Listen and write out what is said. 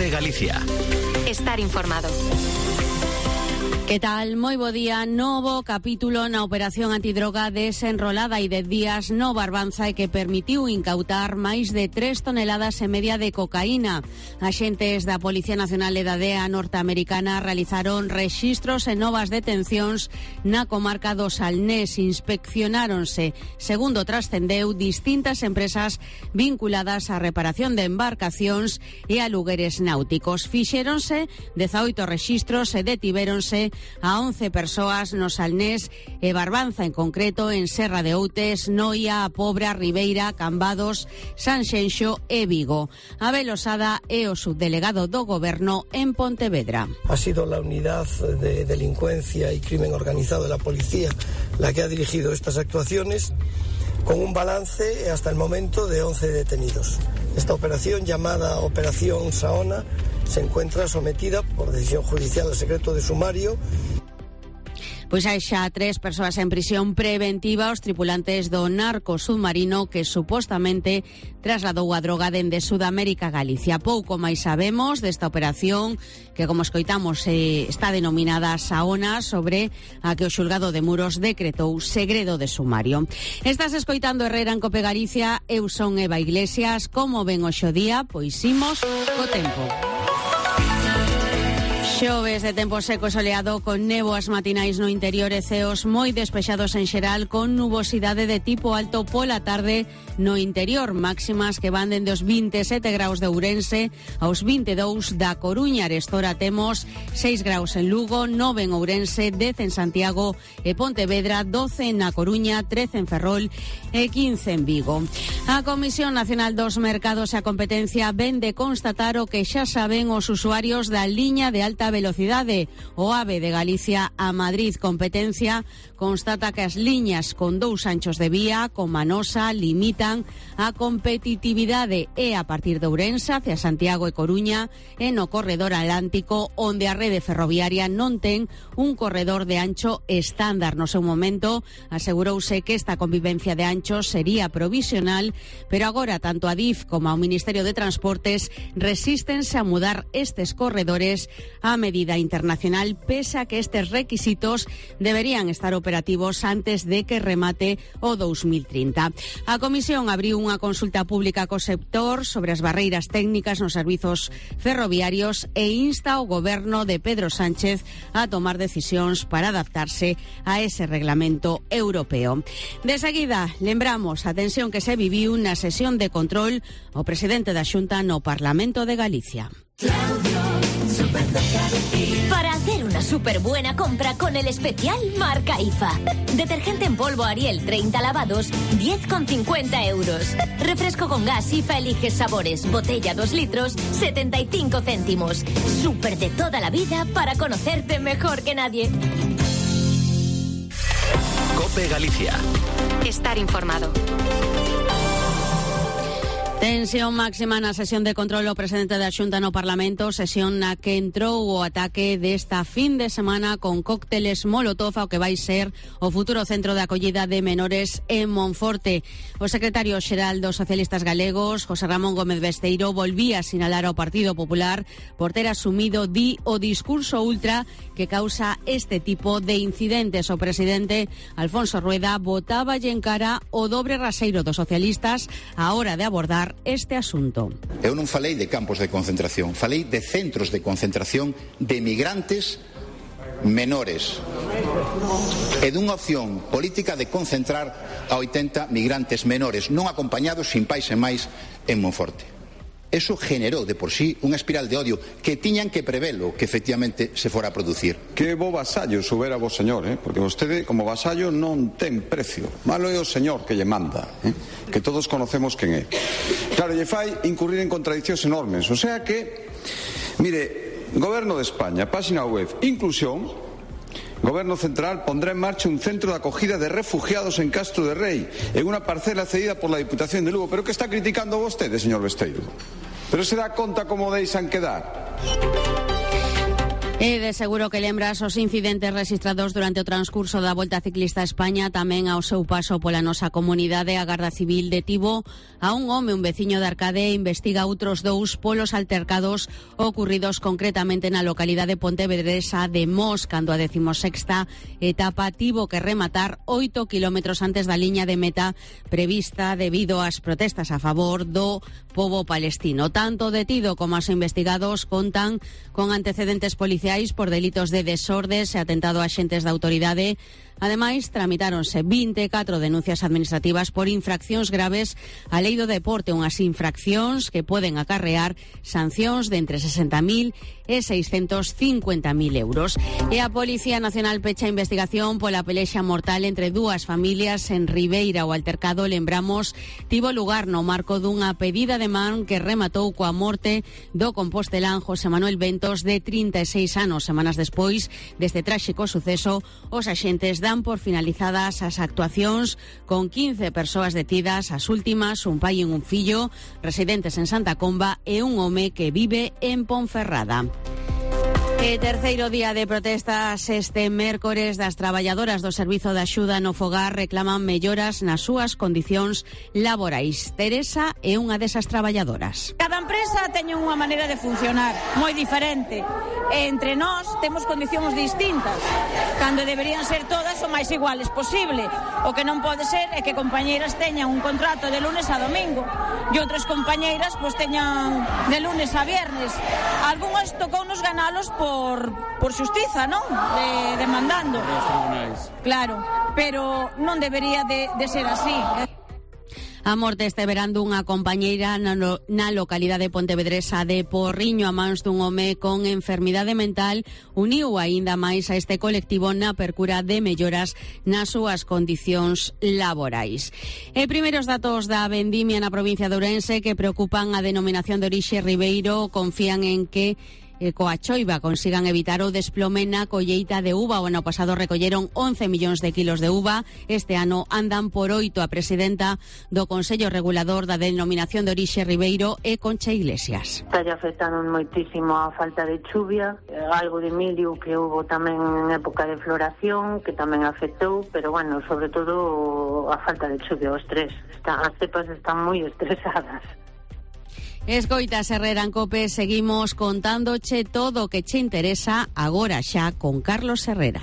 COPE Galicia. Estar informado. Que tal? Moi bo día. Novo capítulo na operación antidroga desenrolada e de días no Barbanza e que permitiu incautar máis de 3 toneladas e media de cocaína. Axentes da Policía Nacional e da DEA norteamericana realizaron rexistros e novas detencións na comarca do Salnés. Inspeccionáronse, segundo trascendeu, distintas empresas vinculadas á reparación de embarcacións e a lugares náuticos. Fixéronse 18 rexistros e detivéronse a 11 persoas no Salnés e Barbanza, en concreto en Serra de Outes, Noia, A Pobra, Ribeira, Cambados, Sanxenxo e Vigo. Abel Osada é o subdelegado do Goberno en Pontevedra. Ha sido la unidad de delincuencia y crimen organizado de la policía la que ha dirigido estas actuaciones, con un balance hasta el momento de 11 detenidos. Esta operación, llamada Operación Saona, se encuentra sometida por decisión judicial al secreto de sumario. Pois hai xa 3 persoas en prisión preventiva, os tripulantes do narco submarino que supostamente trasladou a droga dende Sudamérica a Galicia. Pouco máis sabemos desta operación que, como escoitamos, está denominada Saona, sobre a que o xulgado de Muros decretou segredo de sumario. Estás escoitando Herrera en COPE Galicia, eu son Eva Iglesias. Como ven hoxe o día? Pois imos co tempo. Xoves de tempo seco e soleado, con néboas matinais no interior e ceos moi despexados en xeral, con nubosidade de tipo alto pola tarde no interior. Máximas que van dende os 27 graus de Ourense aos 22 da Coruña. Arestora temos 6 graus en Lugo, 9 en Ourense, 10 en Santiago e Pontevedra, 12 na Coruña, 13 en Ferrol e 15 en Vigo. A Comisión Nacional dos Mercados e a Competencia ven de constatar o que xa saben os usuarios da liña de alta velocidade, o AVE de Galicia a Madrid. Competencia constata que as liñas con 2 anchos de vía, con Manosa, limitan a competitividade e a partir de Ourense hacia Santiago e Coruña e no corredor atlántico, onde a rede ferroviaria non ten un corredor de ancho estándar. No seu momento asegurouse que esta convivencia de anchos sería provisional, pero agora tanto a DIF como ao Ministerio de Transportes resístense a mudar estes corredores a medida internacional, pese a que estes requisitos deberían estar operativos antes de que remate o 2030. A Comisión abriu unha consulta pública co sector sobre as barreiras técnicas nos servizos ferroviarios e insta ao Goberno de Pedro Sánchez a tomar decisións para adaptarse a ese reglamento europeo. De seguida, lembramos a tensión que se viviu na sesión de control o presidente da Xunta no Parlamento de Galicia. Para hacer una súper buena compra con el especial marca IFA. Detergente en polvo Ariel 30 lavados, 10,50 euros. Refresco con gas IFA elige sabores, botella 2 litros, 75 céntimos. Súper de toda la vida para conocerte mejor que nadie. COPE Galicia. Estar informado. Tensión máxima na sesión de control o presidente da Xunta no Parlamento, sesión na que entrou o ataque desta fin de semana con cócteles molotov ao que vai ser o futuro centro de acollida de menores en Monforte. O secretario xeral dos socialistas galegos, José Ramón Gómez Besteiro, volvía a sinalar ao Partido Popular por ter asumido o discurso ultra que causa este tipo de incidentes. O presidente Alfonso Rueda botáballe en cara o dobre raseiro dos socialistas á hora de abordar este asunto. Eu non falei de campos de concentración, falei de centros de concentración de migrantes menores e dunha opción política de concentrar a 80 migrantes menores non acompañados, sin pais e máis, en Monforte. Eso generou de por sí unha espiral de odio que tiñan que prevelo que efectivamente se fora a producir. Que bo vasallo soubera vos, señor, porque vostede como vasallo non ten precio. Malo é o señor que lle manda, que todos conocemos quen é. Claro, lle fai incurrir en contradiccións enormes. O sea que, mire, Goberno de España, página web, inclusión. Goberno central pondrá en marcha un centro de acogida de refugiados en Castro de Rei, en unha parcela cedida por la Diputación de Lugo. Pero que está criticando vostede, señor Besteiro? Pero se dá conta como deixan quedar? E de seguro que lembras os incidentes registrados durante o transcurso da Volta Ciclista a España. Tamén ao seu paso pola nosa comunidade, a Garda Civil detivo a un home, un veciño de Arcade, e investiga outros dous polos altercados ocurridos concretamente na localidade pontevedresa de Mos, cando a 16ª etapa tivo que rematar 8 kilómetros antes da liña de meta prevista debido ás protestas a favor do pobo palestino. Tanto o detido como os investigados contan con antecedentes policiais por delitos de desordes e atentado a axentes da autoridade. Ademais, tramitáronse 24 denuncias administrativas por infraccións graves á lei do deporte, unhas infraccións que poden acarrear sancións de entre 60.000 e 650.000 euros. E a Policía Nacional pecha a investigación pola pelexa mortal entre dúas familias en Ribeira. O altercado, lembramos, tivo lugar no marco dunha pedida de man que rematou coa morte do compostelán José Manuel Ventos, de 36 anos. Semanas despois deste tráxico suceso, os axentes dan por finalizadas as actuacións con 15 persoas detidas, as últimas un pai e un fillo residentes en Santa Comba e un home que vive en Ponferrada. E terceiro día de protestas este mércores das traballadoras do Servizo de Axuda no Fogar reclaman melloras nas súas condicións laborais. Teresa é unha desas traballadoras. Cada empresa teñe unha maneira de funcionar moi diferente. E entre nós temos condicións distintas, cando deberían ser todas o máis iguales posible. O que non pode ser é que compañeiras teñan un contrato de lunes a domingo e outras compañeiras pois teñan de lunes a viernes. Algúns tocounos ganalos por xustiza, non? Demandando. Claro, pero non debería de ser así. A morte este verán dunha compañeira na localidade pontevedresa de Porriño a mans dun home con enfermidade mental uniu aínda máis a este colectivo na percura de melloras nas súas condicións laborais. E primeiros datos da vendimia na provincia de Ourense que preocupan a denominación de orixe Ribeiro confían en que coa choiva consigan evitar o desplome na colleita de uva. O ano pasado recolleron 11 millóns de kilos de uva. Este ano andan por 8. A presidenta do Consello Regulador da Denominación de Orixe Ribeiro é Concha Iglesias. Está afectando moitísimo a falta de chuvia, algo de mildio que hubo tamén en época de floración, que tamén afectou, pero bueno, sobre todo a falta de chuvia, o estrés. As cepas están moi estresadas. Escoitas Herrera en Cope, seguimos contándoche todo o que che interesa agora xa con Carlos Herrera.